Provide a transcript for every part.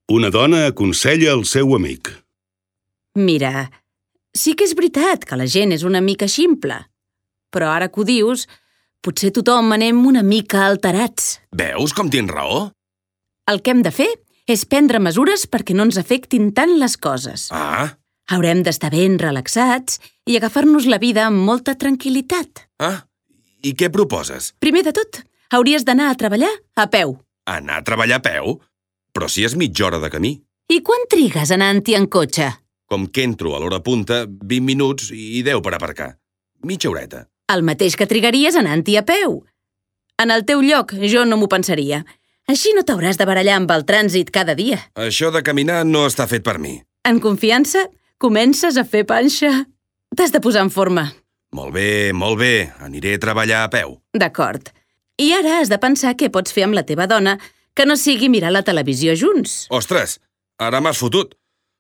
Una dona aconsella el seu amic. Mira, sí que és veritat que la gent és una mica ximple, però ara que ho dius, potser tothom anem una mica alterats. Veus com tens raó? El que hem de fer és prendre mesures perquè no ens afectin tant les coses. Ah, Haurem d'estar ben relaxats i agafar-nos la vida amb molta tranquil·litat. I què proposes? Primer de tot, hauries d'anar a treballar a peu. Anar a treballar a peu? Però si és mitja hora de camí. I quan trigues anant-hi en cotxe? Com que entro a l'hora punta, 20 minuts i 10 per aparcar. Mitja horeta. El mateix que trigaries anant-hi a peu. En el teu lloc, jo no m'ho pensaria. Així no t'hauràs de barallar amb el trànsit cada dia. Això de caminar no està fet per mi. En confiança, comences a fer panxa. T'has de posar en forma. Molt bé. Aniré a treballar a peu. D'acord. I ara has de pensar què pots fer amb la teva dona que no sigui mirar la televisió junts. Ostres, ara m'has fotut.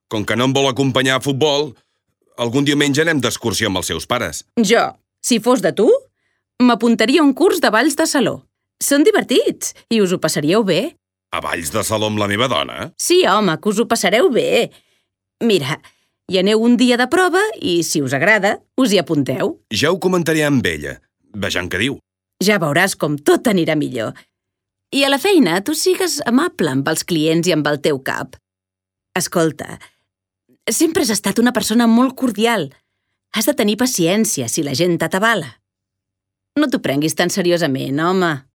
Com que no em vol acompanyar a futbol, algun diumenge anem d'excursió amb els seus pares. Jo, si fos de tu, m'apuntaria a un curs de balls de saló. Són divertits i us ho passaríeu bé. A balls de saló amb la meva dona? Sí, home, que us ho passareu bé. Mira, hi aneu un dia de prova i, si us agrada, us hi apunteu. Ja ho comentaré amb ella. Vejam què diu. Ja veuràs com tot anirà millor. I a la feina tu sigues amable amb els clients i amb el teu cap. Escolta, sempre has estat una persona molt cordial. Has de tenir paciència si la gent t'atabala. No t'ho prenguis tan seriosament, home.